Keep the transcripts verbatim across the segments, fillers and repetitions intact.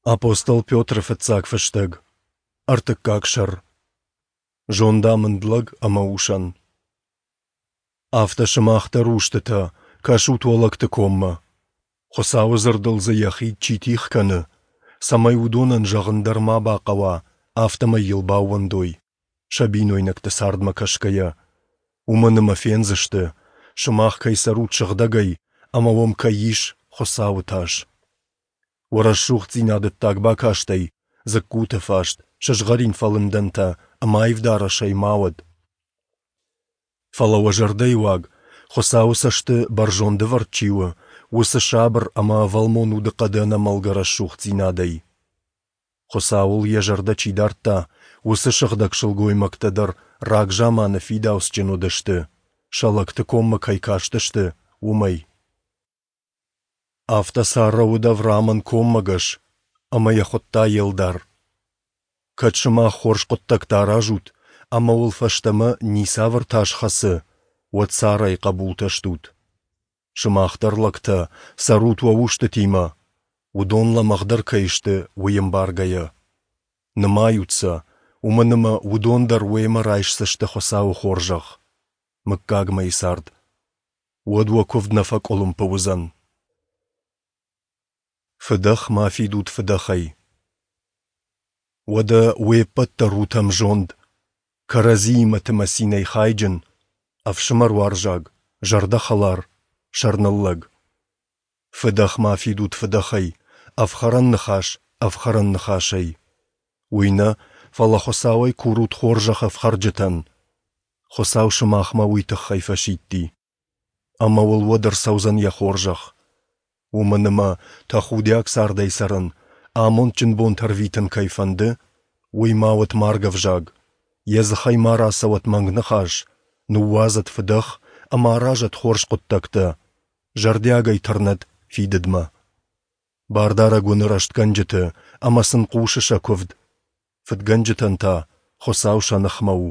Апостол Петры фыццаг фыстӕг, ӕртыккаг сӕр. Зондамынд лӕг ӕмӕ усӕн. Афтӕ сымах дӕр, устытӕ, кӕсут уӕ лӕгты коммӕ. Хуыцауы дзырдыл дзы йӕ хид чи тигъ кӕны, цӕмӕй уыдонӕн зӕгъын дӕр ма бахъӕуа, афтӕмӕй йыл баууӕндой, сӕ бинойнӕгты цардмӕ кӕсгӕйӕ. Уымӕн ӕмӕ фендзысты, сымах кӕй цӕрут сыгъдӕгӕй ӕмӕ уӕм кӕй ис Хуыцауы тас. Уӕ рӕсугъддзинад ӕддаг бакастӕй, дзыккуты фаст, сызгъӕрин фӕлындӕнтӕ ӕмӕ аив дарӕсӕй ма уӕд. Фӕлӕ уӕ зӕрдӕйы уаг, Хуыцауы цӕсты бӕрзонд ӕвӕрд чи у, уыцы сабыр ӕмӕ ӕвӕлмон удыхъӕды ӕнӕмӕлгӕ рӕсугъддзинадӕй. Хуыцауыл йӕ зӕрдӕ чи дардта, уыцы сыгъдӕг сылгоймӕгтӕ дӕр рагзаманы фидауцджын уыдысты, сӕ лӕгты коммӕ кӕй кастысты, уымӕй. Афтӕ Саррӕ уыд Авраамӕн коммӕгӕс, ӕмӕ йӕ хуыдта йе лдар. Кӕд сымах хорз хъуыддӕгтӕ аразут, ӕмӕ уыл фӕстӕмӕ ницавӕр тас хӕцы, уӕд Саррӕйы хъӕбултӕ стут. Сымах дӕр, лӕгтӕ, цӕрут уӕ устытимӕ, уыдон лӕмӕгъдӕр кӕй сты, уый ӕмбаргӕйӕ. Нымайут сӕ, уымӕн ӕмӕ уыдон дӕр уемӕ райсдзысты Хуыцауы хорзӕх, мыггагмӕйы цард. Уӕд уӕ куывд нӕ фӕкъуылымпы уыдзӕн. Фыдӕх ма фидут фыдӕхӕй. Уӕдӕ уе ппӕт дӕр ут ӕмзонд, кӕрӕдзиимӕ ӕмӕ цинӕй хайджын, ӕфсымӕруарзаг, зӕрдӕхӕлар, сӕрныллӕг. Фыдӕх ма фидут фыдӕхӕй, ӕфхӕрӕн ныхас ӕфхӕрӕн ныхасӕй. Уый нӕ, фӕлӕ Хуыцауӕй курут хорзӕх ӕфхӕрджытӕн. Хуыцау сымахмӕ уый тыххӕй фӕсидти. Ӕмӕ уыл уӕд ӕрцӕудзӕн йӕ хорзӕх. Уымӕн ӕмӕ тӕхудиаг цардӕй цӕрын, амондджын бонтӕ ӕрвитын кӕй фӕнды, уый ма уӕд маргӕвзаг, йӕ дзыхӕй ма рацӕуӕд мӕнг ныхас, ныууадзӕд фыдӕх ӕмӕ аразӕд хорз хъуыддӕгтӕ, зӕрдиагӕй тырнӕд фидыдмӕ. Бардарӕг уыны рӕстгӕнджыты ӕмӕ сын хъусы сӕ куывд, фыдгӕнджытӕн та Хуыцау сӕ ныхмӕ у.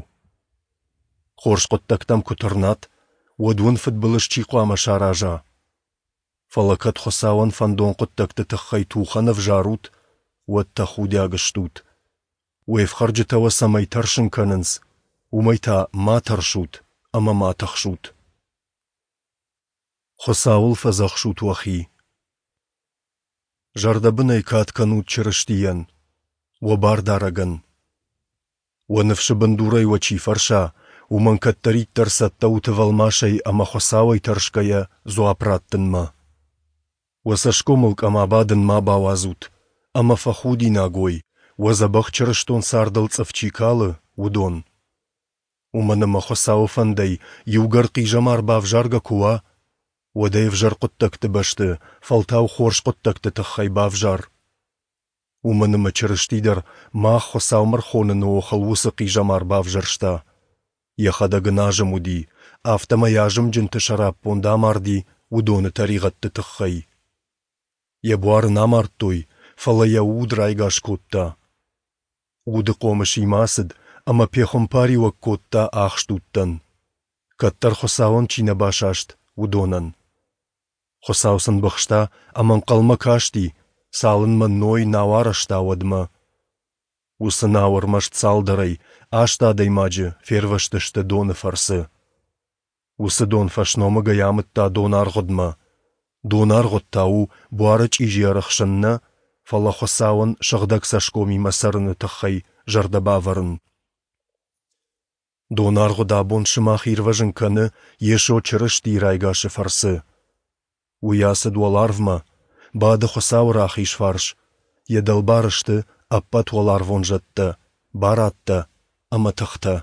Хорз хъуыддӕгтӕм куы тырнат, уӕд уын фыдбылыз чи хъуамӕ сараза? Фӕлӕ кӕд Хуыцауӕн фӕндон хъуыддӕгты тыххӕй тухӕн ӕвзарут, уӕд тӕхудиаг стут. Уе фхӕрджытӕ уӕ цӕмӕй тӕрсын кӕнынц, уымӕй та ма тӕрсут ӕмӕ ма тыхсут. Хуыцауыл фӕдзӕхсут уӕхи. Зӕрдӕбынӕй кад кӕнут Чырыстийӕн, уӕ Бардарӕгӕн. Уӕ ныфсы бындурӕй уӕ чи фӕрса, уымӕн кӕддӕриддӕр цӕттӕ ут ӕвӕлмасӕй ӕмӕ Хуыцауӕй тӕрсгӕйӕ дзуапп раттынмӕ. Уӕ цӕсгомыл къӕм абадын ма бауадзут, ӕмӕ фӕхудинаг уой, уӕ дзӕбӕх чырыстон цардыл цъыф чи калы, уыдон. Уымӕн ӕмӕ Хуыцауы фӕндӕй иугӕр хъизӕмар бавзаргӕ куы уа, уӕд ӕй ӕвзӕр хъуыддӕгты бӕсты фӕлтау хорз хъуыддӕгты тыххӕй бавзар. Уымӕн ӕмӕ Чырысти дӕр мах Хуыцаумӕ ӕрхоныны охыл уыцы хъизӕмар бавзӕрста. Йӕхӕдӕг ын азым уыди, афтӕмӕй азымджынты сӕраппонд амарди уыдоны тӕригъӕдты тыххӕй. Йӕ буар ын амардтой, фӕлӕ йӕ уд райгас кодта. Уды хъомысимӕ ацыд ӕмӕ пехуымпариуӕг кодта ахст удтӕн, кӕддӕр Хуыцауӕн чи нӕ басаст, уыдонӕн. Хуыцау сын быхста ӕмӕ ӕнхъӕлмӕ касти, цалынмӕ Ной нау арӕзта, уӕдмӕ. Уыцы нау ӕрмӕст цалдӕрӕй, аст адӕймаджы, фервӕзтысты доны фӕрцы. Уыцы дон фӕсномыгӕй амыдта донаргъуыдмӕ. Донаргъуыд та у буары чъизи ӕрӕхсын нӕ, фӕлӕ Хуыцауӕн сыгъдӕг цӕсгомимӕ цӕрыны тыххӕй зӕрдӕ бавӕрын. Донаргъуыд абон сымах ирвӕзын кӕны Йесо Чырыстийы райгасы фӕрцы. Уый ацыд уӕларвмӕ, бады Хуыцауы рахиз фарс, йӕ дӕлбар сты ӕппӕт уӕларвон зӕдтӕ, барадтӕ ӕмӕ тыхтӕ.